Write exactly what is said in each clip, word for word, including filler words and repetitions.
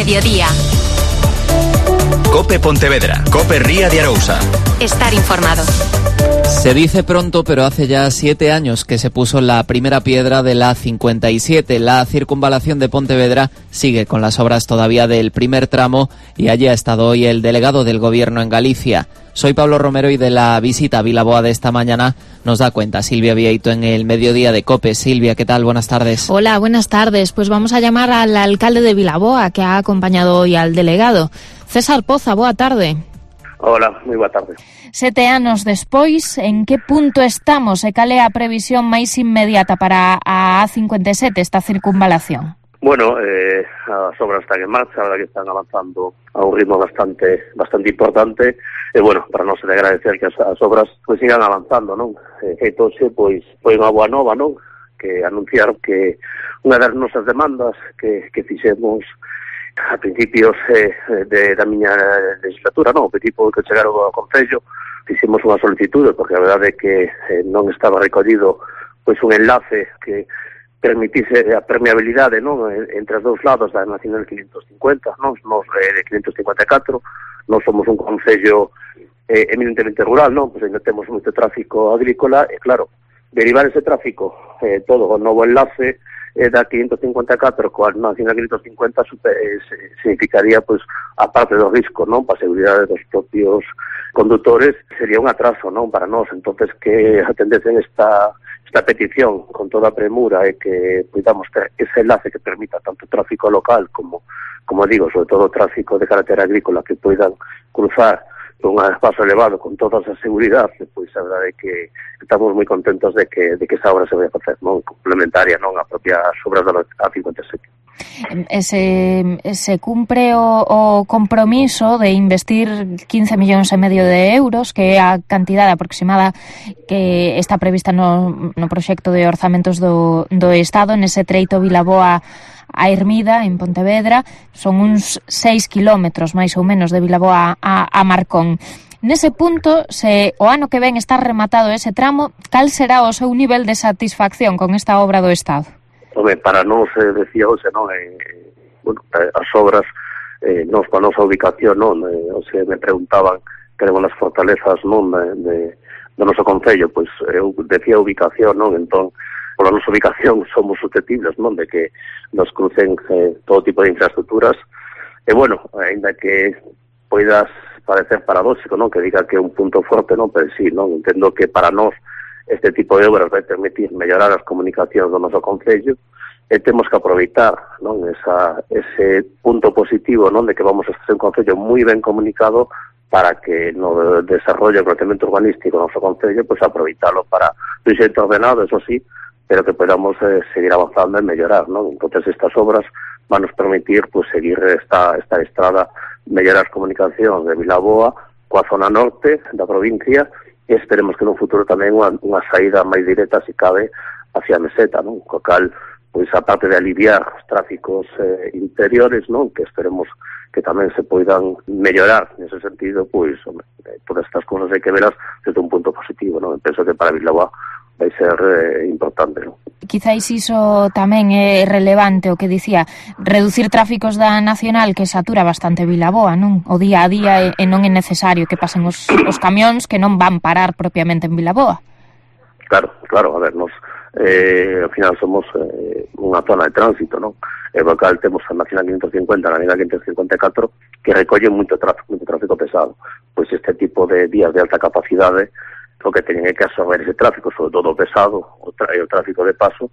mediodía. Cope Pontevedra, Cope Ría de Arousa. Estar informado. Se dice pronto, pero hace ya siete años que se puso la primera piedra de la A cincuenta y siete. La circunvalación de Pontevedra sigue con las obras todavía del primer tramo y allí ha estado hoy el delegado del Gobierno en Galicia. Soy Pablo Romero y de la visita a Vilaboa de esta mañana nos da cuenta Silvia Vieito en el mediodía de COPE. Silvia, ¿qué tal? Buenas tardes. Hola, buenas tardes. Pues vamos a llamar al alcalde de Vilaboa, que ha acompañado hoy al delegado. César Poza, boa tarde. Hola, moi boa tarde. Sete anos despois, en que punto estamos e cal é a previsión máis inmediata para a A cincuenta e sete, esta circunvalación? Bueno, eh, as obras están en marcha, a verdad que están avanzando a un ritmo bastante bastante importante, e bueno, para nós de agradecer que as, as obras pois sigan avanzando, non? Eh, feitose, pois, foi unha boa nova, non? Que anunciar que unha das nosas demandas que, que fixemos a principios eh, de, da miña legislatura, non, o tipo que chegaron ao Concello, fixemos unha solicitude, porque a verdade é que eh, non estaba recollido pois un enlace que permitise a permeabilidade, non, entre os dous lados da Nacional quinientos cincuenta, non, nos de quinientos cincuenta e catro, non somos un concello eh, eminentemente rural, non, pois ainda temos moito tráfico agrícola, e claro, derivar ese tráfico, eh, todo o novo enlace eh, da quinientos cincuenta e catro coa Nacional quinientos cincuenta super, eh, significaría, pois, a parte do risco, non, para a seguridade dos propios condutores, sería un atraso, non, para nós. Entonces, que atendesen esta esta petición con toda a premura e que podamos ter ese enlace que permita tanto tráfico local como, como digo, sobre todo tráfico de carácter agrícola que poidan cruzar un espazo elevado con toda esa seguridade, pois a verdade é que estamos moi contentos de que de que esa obra se vai a facer, non, complementaria, non, a propia obra da A cincuenta e sete. Se, se cumpre o, o compromiso de investir quince millóns e medio de euros, que é a cantidade aproximada que está prevista no, no proxecto de orzamentos do, do Estado, nese treito Vilaboa a Hermida, en Pontevedra. Son uns seis kilómetros, máis ou menos, de Vilaboa a, a Marcón. Nese punto, se o ano que ven está rematado ese tramo, cal será o seu nivel de satisfacción con esta obra do Estado? Home, para nós, eh, decía hoxe, non, eh, bueno, as obras, eh, nos, para a nosa ubicación, non, eh, o sea, me preguntaban queremos as fortalezas, non, de, de, do noso concello, pois eu decía ubicación, non, entón, pola nosa ubicación somos susceptibles, non, de que nos crucen eh, todo tipo de infraestructuras, e bueno, ainda que poidas parecer paradóxico, non, que diga que é un punto forte, non, pero sí, non, entendo que para nós este tipo de obras vai permitir mellorar as comunicacións do noso concello, e temos que aproveitar, non, esa, ese punto positivo, non, de que vamos a ser un concello moi ben comunicado para que no desarrollo e crecemento urbanístico do noso concello, pois aproveitalo para un xeito ordenado, eso sí, pero que podamos eh, seguir avanzando e mellorar, non? Entonces estas obras van nos permitir pues, seguir esta, esta estrada, mellorar as comunicacións de Vilaboa coa zona norte da provincia e esperemos que no futuro tamén unha, unha saída máis directa, se cabe, hacia a meseta, non? Co cal, pois, a parte de aliviar os tráficos eh, interiores, non? Que esperemos que tamén se poidan mellorar nese sentido, pois, hombre, todas estas cosas hai que veras desde un punto positivo, non? Penso que para Vilaboa vai ser eh, importante, non? Quizáis iso tamén é relevante, o que dicía, reducir tráficos da Nacional que satura bastante Vilaboa, non? O día a día e, e non é necesario que pasen os, os camións que non van parar propiamente en Vilaboa. Claro, claro, a ver, nos eh, ao final somos eh, unha zona de tránsito, non? E o cal temos a Nacional quinientos cincuenta, a Nacional quinientos cincuenta e catro, que recollen moito tráfico, moito tráfico pesado. Pois este tipo de vías de alta capacidade o que teñen é que absorber ese tráfico, sobre todo pesado, o, tra o tráfico de paso,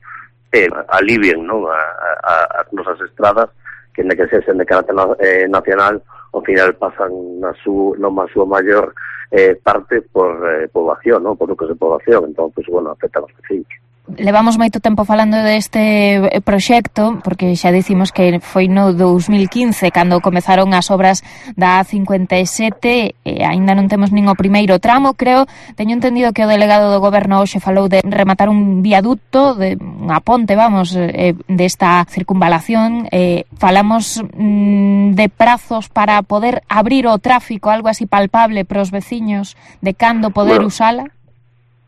e alivien, non, a, a, as nosas estradas, que en que sesen de carácter eh, nacional, ao final pasan na su, non na súa maior eh, parte por eh, poboación, non, por núcleos de poboación, entón, pues, bueno, afectan os vecinos. Levamos moito tempo falando deste proxecto, porque xa dicimos que foi no dos mil quince cando comezaron as obras da A cincuenta e sete, e aínda non temos nin o primeiro tramo, creo. Teño entendido que o delegado do Goberno hoxe falou de rematar un viaducto, de unha ponte, vamos, eh, desta circunvalación. Eh, falamos mm, de prazos para poder abrir o tráfico, algo así palpable para os veciños, de cando poder bueno. usala?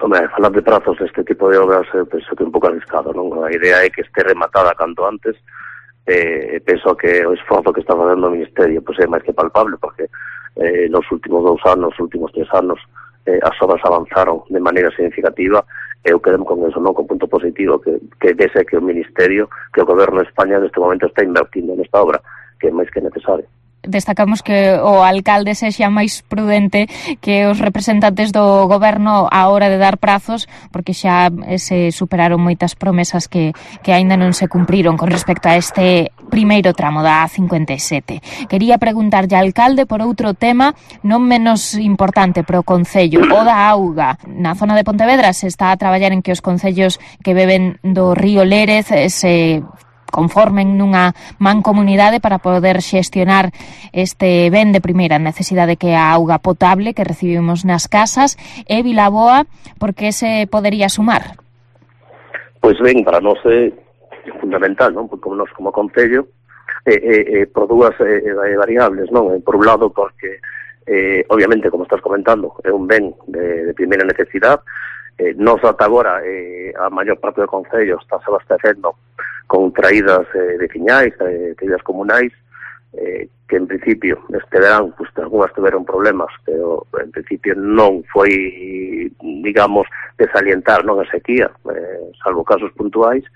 Home, falar de prazos deste tipo de obras, eh, penso que é un pouco arriscado, non? A idea é que este rematada canto antes, eh, penso que o esforzo que está facendo o Ministerio pois é máis que palpable, porque eh, nos últimos dous anos, nos últimos tres anos, eh, as obras avanzaron de maneira significativa. Eu quedem con eso, non, con punto positivo, que, que vese que o Ministerio, que o Goberno de España neste momento está invertindo nesta obra, que é máis que necesario. Destacamos que o alcalde sexa máis prudente que os representantes do goberno á hora de dar prazos, porque xa se superaron moitas promesas que, que aínda non se cumpriron con respecto a este primeiro tramo da A cincuenta e sete. Quería preguntarlle ao alcalde por outro tema non menos importante para o Concello, o da auga. Na zona de Pontevedra se está a traballar en que os concellos que beben do río Lérez se conformen nunha mancomunidade para poder xestionar este ben de primeira necesidade que é a auga potable que recibimos nas casas. E Vilaboa, por que se podería sumar? Pois ben, para nós é fundamental, non? Porque como nós como Concello, eh, eh, por dúas eh, variables, non? Por un lado, porque, eh, obviamente, como estás comentando, é un ben de, de primeira necesidade. Eh, nos ata agora, eh, a maior parte do Concello está se abastecendo con traídas eh, de fiñais, eh, traídas comunais, eh, que en principio este verán, pues, algunhas tiveron problemas, pero en principio non foi, digamos, de salientar, non a sequía, eh, salvo casos puntuais,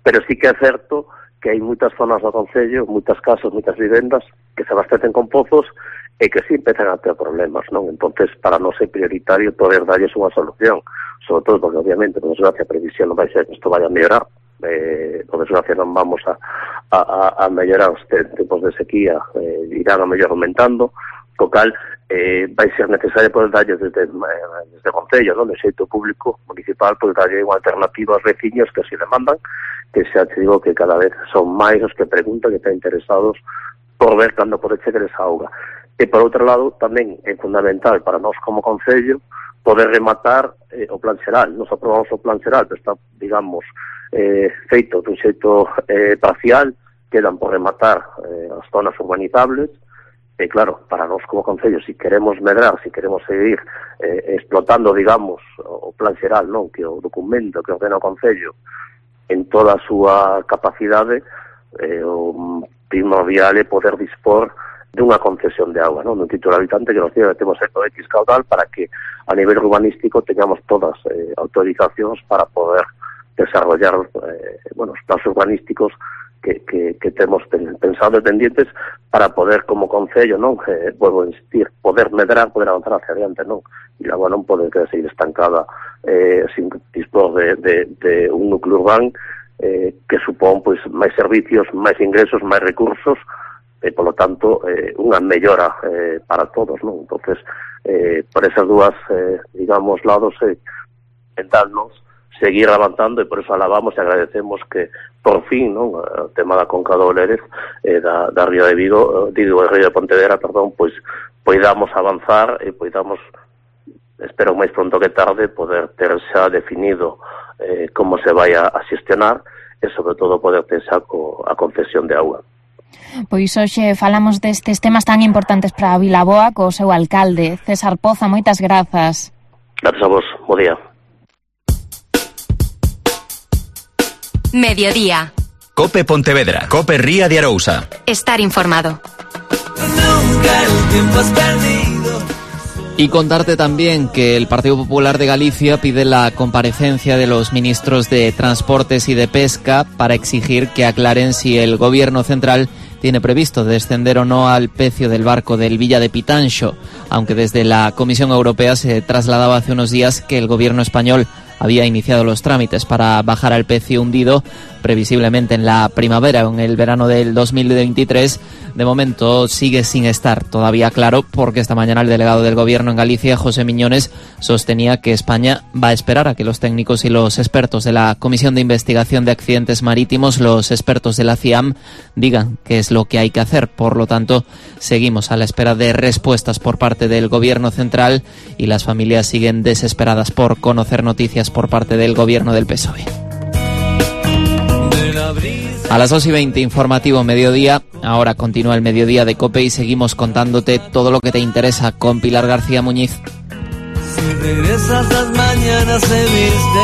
pero sí que é certo que hai moitas zonas do Concello, moitas casas, moitas vivendas que se abastecen con pozos e que sí empezan a ter problemas, non? Entonces, para nós é prioritario poder darlles unha solución, sobre todo porque, obviamente, por desgracia, a previsión non vai ser que isto vaya a mellorar, eh, por desgracia non vamos a, a, a mellorar os tempos de sequía, eh, irán a mellor aumentando, co cal eh, vai ser necesario poder darlle desde, eh, desde o Concello, non? De xeito público, municipal, poder darlle unha alternativa aos veciños que así demandan, que xa te digo que cada vez son máis os que preguntan, que están interesados por ver cando pode chegar esa auga. E, por outro lado, tamén é fundamental para nós como Concello poder rematar eh, o plan xeral. Nos aprobamos o plan xeral, que está, digamos, eh, feito dun xeito eh, parcial, quedan por rematar eh, as zonas urbanizables, e claro, para nós como Concello, si queremos medrar, si queremos seguir eh, explotando, digamos, o plan xeral, non, que o documento que ordena o Concello en toda a súa capacidade, eh, o primordial é poder dispor dunha concesión de auga, non? Dun título habitante que nos diga que temos o X caudal para que a nivel urbanístico teñamos todas eh, autorizacións para poder desarrollar eh, bueno, os planos urbanísticos que, que, que temos pensado e pendientes para poder, como Concello, non? Eh, vuelvo a insistir, poder medrar, poder avanzar hacia adiante, non? E a auga non pode quedar seguir estancada eh, sin dispor de, de, de un núcleo urbano eh, que supón pois máis servicios, máis ingresos, máis recursos, e, polo tanto, eh, unha mellora eh, para todos, non? Entonces, eh, por esas dúas, eh, digamos, lados, eh, tentarnos seguir avanzando, e por eso alabamos e agradecemos que, por fin, non? O tema da Conca do Lérez, eh, da, da Ría de Vigo, eh, digo, da Ría de Pontevedra, perdón, pois, poidamos avanzar e poidamos, espero máis pronto que tarde, poder ter xa definido eh, como se vai a, a xestionar e, sobre todo, poder ter xa co, a concesión de auga. Pois hoxe falamos destes temas tan importantes para a Vilaboa co seu alcalde, César Poza. Moitas grazas. Grazas a vos, bo día. Mediodía. Cope Pontevedra, Cope Ría de Arousa. Estar informado. Nunca el tiempo has perdido. Y contarte también que el Partido Popular de Galicia pide la comparecencia de los ministros de Transportes y de Pesca para exigir que aclaren si el Gobierno central tiene previsto descender o no al precio del barco del Villa de Pitanxo, aunque desde la Comisión Europea se trasladaba hace unos días que el Gobierno español había iniciado los trámites para bajar al pecio hundido, previsiblemente en la primavera o en el verano del dos mil veintitrés. De momento sigue sin estar todavía claro, porque esta mañana el delegado del Gobierno en Galicia, José Miñones, sostenía que España va a esperar a que los técnicos y los expertos de la Comisión de Investigación de Accidentes Marítimos, los expertos de la C I A M, digan qué es lo que hay que hacer. Por lo tanto, seguimos a la espera de respuestas por parte del Gobierno central y las familias siguen desesperadas por conocer noticias por parte del Gobierno del P S O E. A las dos y veinte, informativo mediodía. Ahora continúa el mediodía de COPE y seguimos contándote todo lo que te interesa con Pilar García Muñiz. Si regresas las mañanas se viste